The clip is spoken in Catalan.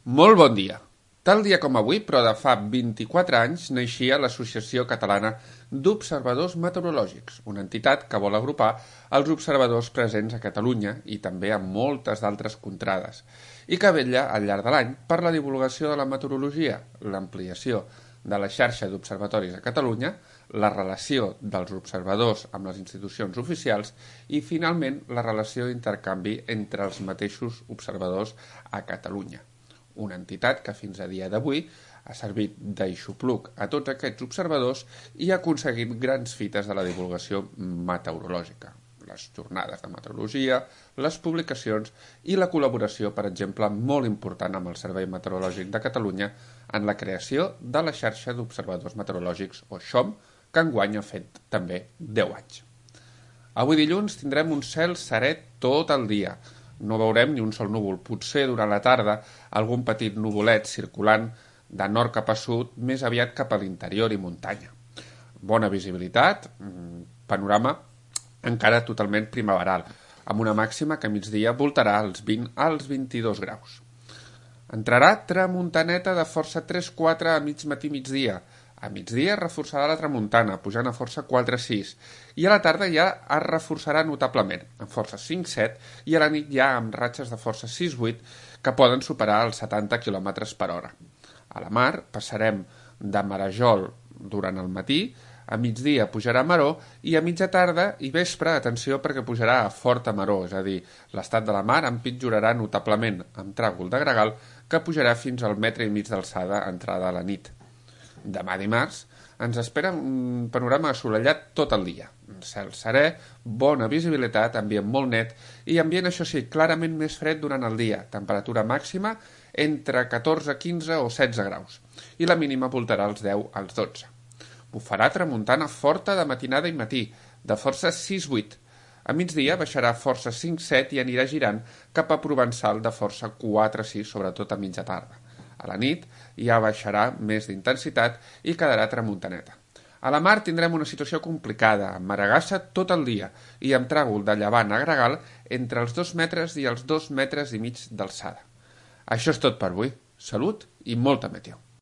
Molt bon dia. Tal dia com avui, però de fa 24 anys, naixia l'Associació Catalana d'Observadors Meteorològics, una entitat que vol agrupar els observadors presents a Catalunya i també a moltes d'altres contrades, i que vetlla al llarg de l'any per la divulgació de la meteorologia, l'ampliació de la xarxa d'observatoris a Catalunya, la relació dels observadors amb les institucions oficials i, finalment, la relació d'intercanvi entre els mateixos observadors a Catalunya. Una entitat que fins a dia d'avui ha servit d'aixopluc a tots aquests observadors i ha aconseguit grans fites de la divulgació meteorològica. Les jornades de meteorologia, les publicacions i la col·laboració, per exemple, molt important amb el Servei Meteorològic de Catalunya en la creació de la xarxa d'observadors meteorològics, o XOM, que enguany ha fet també 10 anys. Avui dilluns tindrem un cel serè tot el dia. No veurem ni un sol núvol, potser durant la tarda algun petit nuvolet circulant de nord cap a sud, més aviat cap a l'interior i muntanya. Bona visibilitat, panorama encara totalment primaveral, amb una màxima que a migdia voltarà als 20 als 22 graus. Entrarà tramuntaneta de força 3-4 a mig matí migdia. A migdia reforçarà la tramuntana, pujant a força 4-6, i a la tarda ja es reforçarà notablement, amb força 5-7, i a la nit ja amb ratxes de força 6-8 que poden superar els 70 km per hora. A la mar passarem de marejol durant el matí, a migdia pujarà a maró i a mitja tarda i vespre, atenció, perquè pujarà a forta maró, és a dir, l'estat de la mar empitjorarà notablement amb tràgol de gregal que pujarà fins al 1,5 m d'alçada entrada a la nit. Demà dimarts ens espera un panorama assolellat tot el dia. Cel serè, bona visibilitat, ambient molt net i ambient, això sí, clarament més fred durant el dia. Temperatura màxima entre 14, 15 o 16 graus i la mínima voltarà als 10 als 12. Bufarà tramuntana forta de matinada i matí, de força 6-8. A migdia baixarà força 5-7 i anirà girant cap a Provençal de força 4-6, sobretot a mitja tarda. A la nit ja baixarà més d'intensitat i quedarà tramuntaneta. A la mar tindrem una situació complicada, amb maregassa tot el dia i amb tràgol de llevant a gregal entre els 2 metres i els 2,5 metres d'alçada. Això és tot per avui. Salut i molta meteo.